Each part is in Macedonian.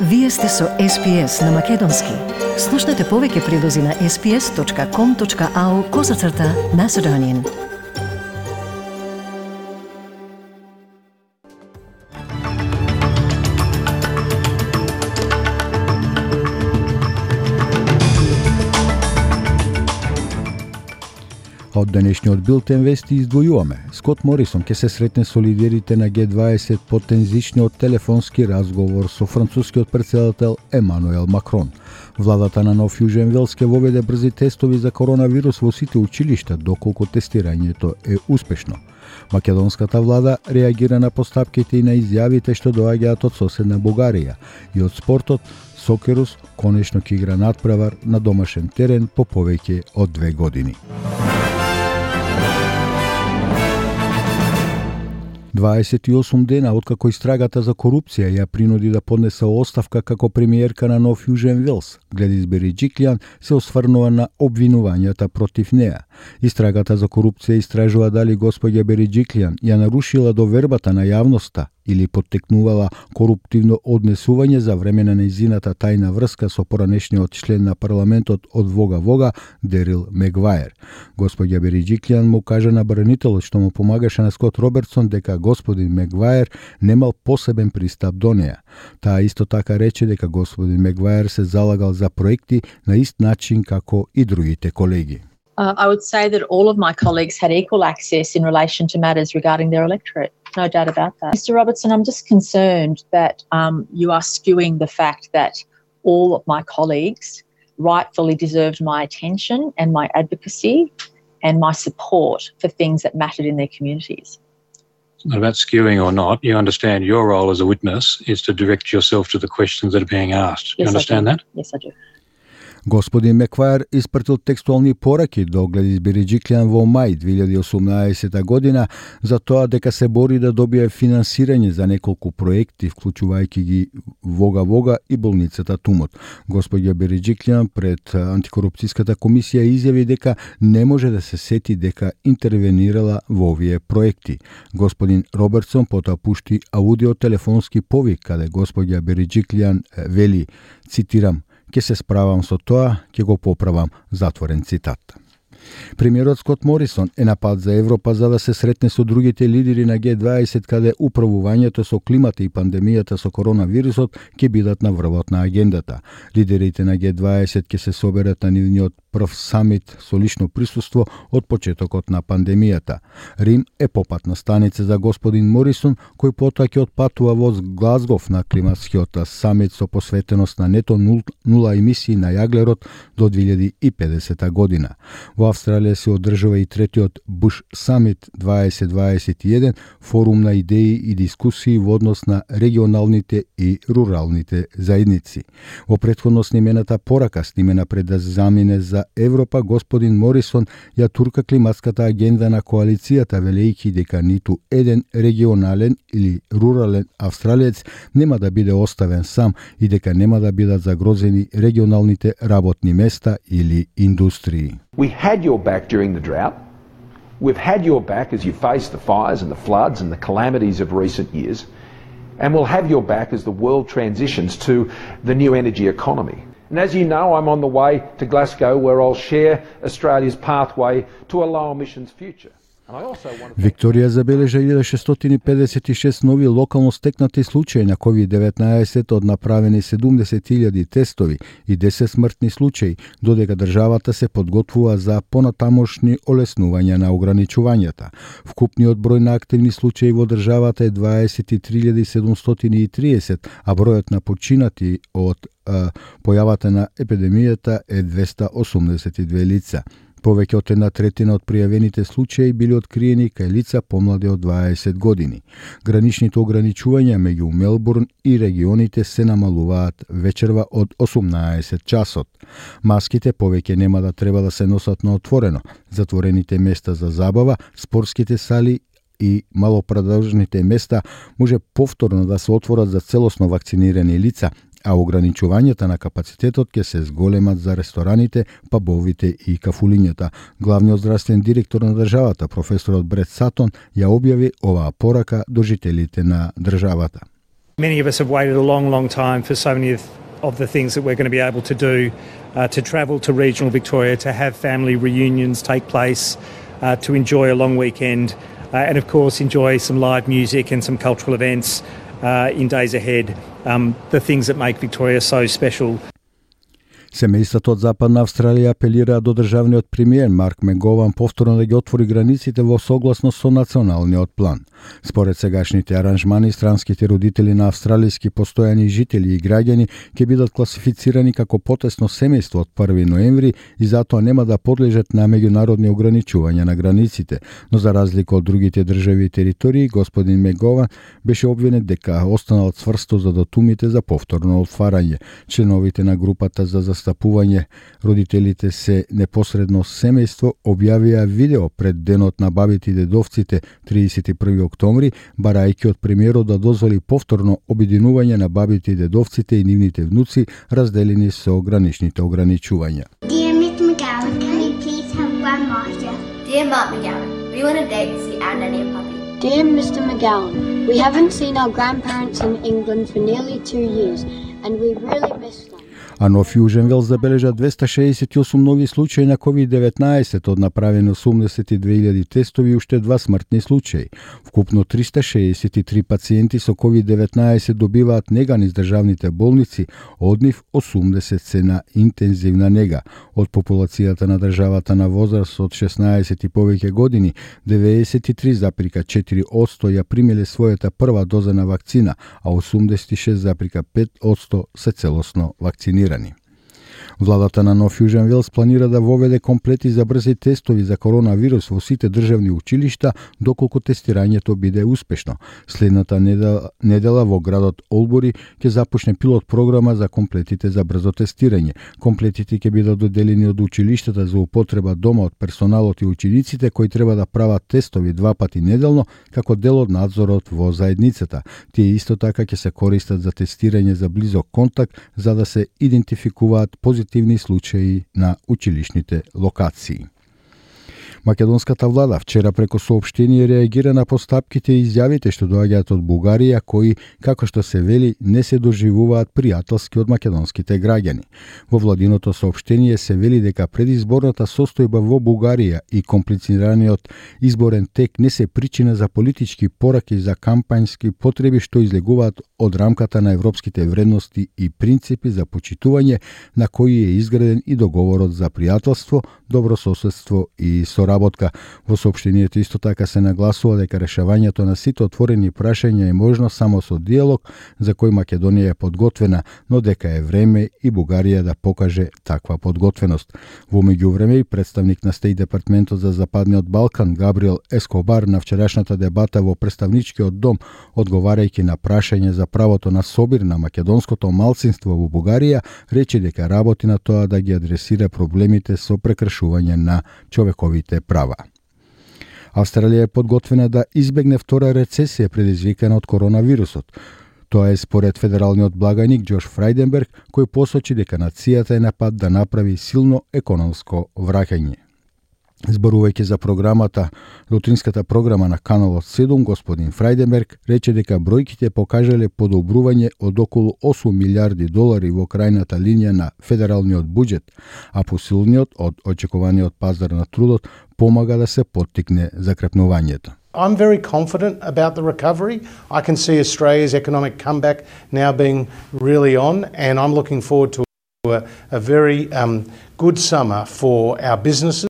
Вие сте со SPS на Македонски. Слушнете повеќе прилози на sps.com.au/Macedonian. Од денешниот билтен вести издвојуваме. Скот Морисон ќе се сретне со лидерите на Г20 по тензичниот телефонски разговор со францускиот претседател Емануел Макрон. Владата на Нов Јужен Велс ќе воведе брзи тестови за коронавирус во сите училишта доколку тестирањето е успешно. Македонската влада реагира на постапките и на изјавите што доаѓаат од соседна Бугарија и од спортот. Сокерус конечно ќе игра надпревар на домашен терен по повеќе од 2 години. 28 дена откако истрагата за корупција ја принуди да поднесе оставка како премиерка на Нов Јужен Велс, Гледис Бериџиклијан се осврнува на обвинувањата против неа. Истрагата за корупција истражува дали господја Бериџиклијан ја нарушила довербата на јавноста или поттекнувала коруптивно однесување за време на нејзината тајна врска со поранешниот член на парламентот од Вога Дерил Мегваер. Господја Бериџиклијан му кажа на бранителот што му помагаше на Скот Робертсон дека господин Мегваер немал посебен пристап до неа. Таа исто така рече дека господин Мегваер се залагал за проекти на ист начин како и другите колеги. I would say that all of my colleagues had equal access in relation to matters regarding their electorate. No doubt about that. Mr. Robertson, I'm just concerned that you are skewing the fact that all of my colleagues rightfully deserved my attention and my advocacy and my support for things that mattered in their communities. It's not about skewing or not. You understand your role as a witness is to direct yourself to the questions that are being asked. You understand that? Yes, I do. Господин Мекваер испратил текстуални пораки до Гледис Бериџиклијан во мај 2018 година за тоа дека се бори да добие финансирање за неколку проекти, вклучувајќи ги Вога и болницата Тумот. Господја Бериџиклијан пред антикорупцијската комисија изјави дека не може да се сети дека интервенирала во овие проекти. Господин Робертсон потоа пушти аудиотелефонски повик каде господја Бериџиклијан вели, цитирам: "Ке се справам со тоа, ке го поправам", затворен цитат. Премиерот Скот Морисон е на пат за Европа за да се сретне со другите лидери на Г20 каде управувањето со климата и пандемијата со коронавирусот ќе бидат на врвот на агендата. Лидерите на Г20 ќе се соберат на нивниот прв самит со лично присуство од почетокот на пандемијата. Рим е попатна станица за господин Морисон, кој потоа ќе отпатува во Глазгов на климатскиот самит со посветеност на нето нула емисии на јаглерод до 2050 година. Во Австралија се одржува и третиот Буш самит 2021, форум на идеи и дискусии во однос на регионалните и руралните заедници. Во претходно снимената порака, снимена пред да замине за Европа, господин Морисон ја турка климатската агенда на коалицијата, велејќи дека ниту еден регионален или рурален австралиец нема да биде оставен сам и дека нема да бидат загрозени регионалните работни места или индустрии. We had your back during the drought. We've had your back as you face the fires and the floods and the calamities of recent years. And we'll have your back as the world transitions to the new energy economy. And as you know, I'm on the way to Glasgow where I'll share Australia's pathway to a low emissions future. Викторија забележа 1656 нови локално стекнати случаи на COVID-19 од направени 70.000 тестови и 10 смртни случаи, додека државата се подготвува за понатамошни олеснувања на ограничувањата. Вкупниот број на активни случаи во државата е 23.730, а бројот на починати од појавата на епидемијата е 282 лица. Повеќе од 1/3 од пријавените случаи били откриени кај лица помлади од 20 години. Граничните ограничувања меѓу Мелбурн и регионите се намалуваат вечерва од 18 часот. Маските повеќе нема да треба да се носат на отворено. Затворените места за забава, спортските сали и малопродажните места може повторно да се отворат за целосно вакцинирани лица, а ограничувањата на капацитетот ќе се зголемат за рестораните, пабовите и кафулињата. Главниот здравствен директор на државата, професорот Брет Сатон, ја објави оваа порака до жителите на државата. Many of us have waited a long time for so many of the things that we're going to be able to do, to travel to regional Victoria, to have family reunions take place, to enjoy a long weekend, and of course enjoy some live music and some cultural events in days ahead, the things that make Victoria so special. Семејството од Западна Австралија апелира до државниот премиер Марк Мегован повторно да ги отвори границите во согласност со националниот план. Според сегашните аранжмани, странските родители на австралијски постојани жители и граѓани ќе бидат класифицирани како потесно семејство од 1 ноември и затоа нема да подлежат на меѓународни ограничувања на границите. Но за разлика од другите држави и територии, господин Мегован беше обвинет дека останал цврсто за датумите за повторно отварање. Членовите на групата за застапување родителите се непосредно семејство објавија видео пред денот на бабите и дедовците 31 октомври, барајќи од премиерот да дозволи повторно обединување на бабите и дедовците и нивните внуци, разделени со граничните ограничувања. Dear Mr. McGowan, can we please have Grandma here? Dear Mark McGowan, we want a date to see our nanny and puppy. Dear Mr. McGowan, we haven't seen our grandparents in England for nearly 2 years, and we really miss them. А Нов Јужен Велс забележа 268 нови случаи на COVID-19 од направени 82.000 тестови и уште 2 смртни случаи. Вкупно 363 пациенти со COVID-19 добиваат нега низ државните болници, од нив 80 се на интензивна нега. Од популацијата на државата на возраст од 16 и повеќе години, 93,4% ја примиле својата прва доза на вакцина, а 86,5% се целосно вакцинирани. Владата на Нов Јужен Велс планира да воведе комплети за брзи тестови за коронавирус во сите државни училишта доколку тестирањето биде успешно. Следната недела во градот Олбури ќе започне пилот програма за комплетите за брзо тестирање. Комплетите ќе бидат доделени од училиштата за употреба дома од персоналот и учениците кои треба да прават тестови 2 пати неделно како дел од надзорот во заедницата. Тие исто така ќе се користат за тестирање за близок контакт за да се идентификуваат позитивни случаи на училишните локации. Македонската влада вчера преку соопштение реагира на постапките и изјавите што доаѓаат од Бугарија, кои, како што се вели, не се доживуваат пријателски од македонските граѓани. Во владиното соопштение се вели дека предизборната состојба во Бугарија и комплицираниот изборен тек не се причина за политички пораки за кампањски потреби што излегуваат од рамката на европските вредности и принципи за почитување на кои е изграден и договорот за пријателство, добрососедство и соработка. Во соопштението исто така се нагласува дека решавањето на сите отворени прашања е можно само со диалог за кој Македонија е подготвена, но дека е време и Бугарија да покаже таква подготвеност. Во меѓувреме и представник на Стејт департментот за Западниот Балкан Габриел Ескобар на вчерашната дебата во представничкиот дом, одговарајќи на прашање за правото на собир на македонското малцинство во Бугарија, рече дека работи на тоа да ги адресира проблемите со прекршување на човековите права. Австралија е подготвена да избегне втора рецесија предизвикана од коронавирусот. Тоа е според федералниот благајник Џош Фрајденберг, кој посочи дека нацијата е на пат да направи силно економско враќање. Зборувајќи за програмата, лутринската програма на каналот 7, господин Фрајденберг рече дека бројките покажале подобрување од околу 8 милиарди долари во крајната линија на федералниот буџет, а посилниот од очекуваниот пазар на трудот помага да се поттикне закрепнувањето. I'm very confident about the recovery. I can see Australia's economic comeback now being really on, and I'm looking forward to a very good summer for our businesses.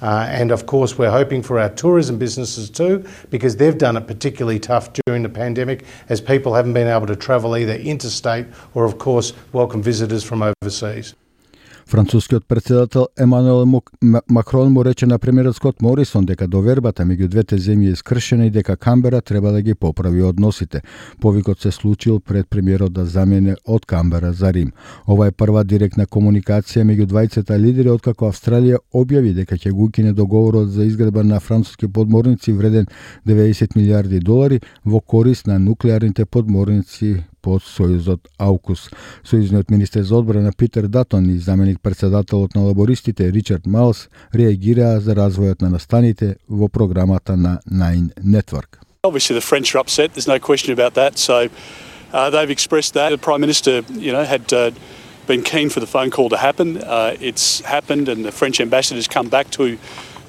And of course, we're hoping for our tourism businesses too, because they've done it particularly tough during the pandemic, as people haven't been able to travel either interstate or, of course, welcome visitors from overseas. Францускиот председател Емануел Макрон му рече на премиерот Скот Морисон дека довербата меѓу двете земји е скршена и дека Камбера треба да ги поправи односите. Повикот се случил пред премиерот да замене од Камбера за Рим. Ова е прва директна комуникација меѓу двајцата лидери откако Австралија објави дека ќе го укине договорот за изградба на француски подморници вреден 90 милиарди долари во корист на нуклеарните подморници под Сојузот Аукус. Сојузниот министер за одбрана Питер Датон и заменик председателот на лабористите Ричард Малс реагираа за развојот на настаните во програмата на Nine Network. Obviously the French are upset, there's no question about that, so they've expressed that. The Prime Minister, had been keen for the phone call to happen. It's happened, and the French ambassador's come back to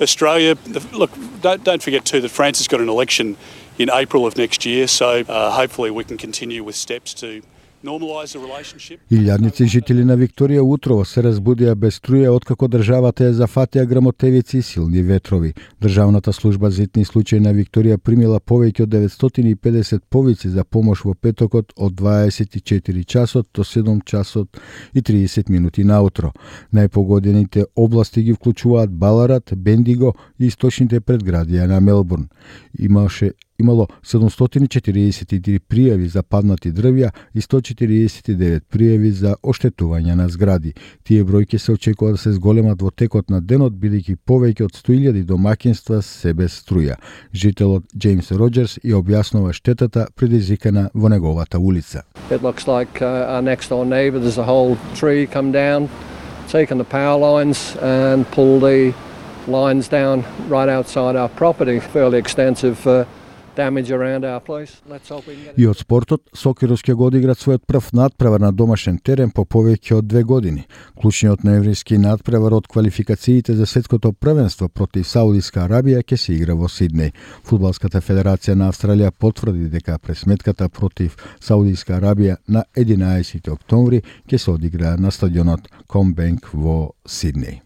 Australia. Look, don't forget too that France has got an election in April of next year, so hopefully we can continue with steps to normalize the relationship. Илјадници жители на Викторија утрово се разбудија без струја откако државата ја зафатија грмотевици и силни ветрови. Државната служба за итни случаи на Викторија примила повеќе од 950 повици за помош во петокот од 24 часот до 7 часот и 30 минути наутро. Најпогодените области ги вклучуваат Баларат, Бендиго и источните предградија на Мелбурн. Имало 743 пријави за паднати дрвја и 149 пријави за оштетување на згради. Тие бројки се очекува да се зголемат во текот на денот, бидејќи повеќе од 100.000 домаќинства се без струја. Жителот Джеймс Роџерс ја објаснува штетата предизвикана во неговата улица. It looks like our next door neighbour, there's a whole tree come down, taken the power lines and pulled the lines down right outside our property. Fairly extensive damage around our place. Let's hope we can get it. И од спортот, Сокерус ќе го одиграат својот прв надпревар на домашен терен по повеќе од 2 години. Клучниот ноемвриски надпревар од квалификациите за светското првенство против Саудиска Арабија ќе се игра во Сиднеј. Фудбалската федерација на Австралија потврди дека пресметката против Саудиска Арабија на 11 октомври ќе се одигра на стадионот Combank во Сиднеј.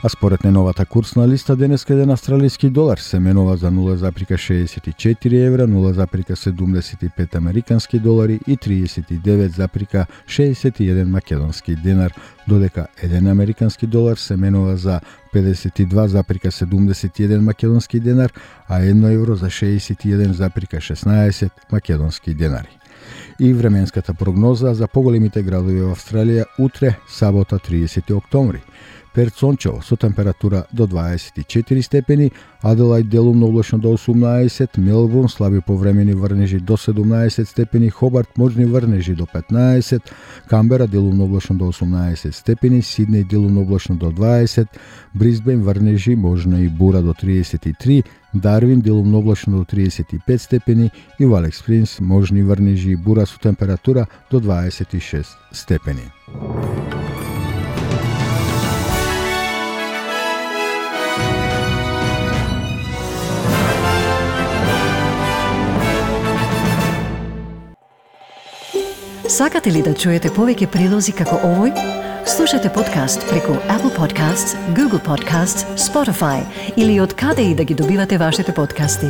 А според неновата курсна листа, денеска еден австралиски долар се менува за 0,64 евра, 0,75 американски долари и 39,61 македонски денар, додека еден американски долар се менува за 52,71 македонски денар, а 1 евро за 61,16 македонски денари. И временската прогноза за поголемите градови во Австралија утре, сабота 30 октомври. Перт сончево со температура до 24 степени, Аделајд делумно облачно до 18, Мелбурн слаби повремени врнежи до 17 степени, Хобарт можни врнежи до 15, Камбера делумно облачно до 18 степени, Сиднеј делумно облачно до 20, Брисбен врнежи можна и бура до 33, Дарвин делумно облачно до 35 степени и во Алекс Спрингс можни врнежи и бура со температура до 26 степени. Сакате ли да чуете повеќе прилози како овој? Слушате подкаст преку Apple Podcasts, Google Podcasts, Spotify или од каде и да ги добивате вашите подкасти.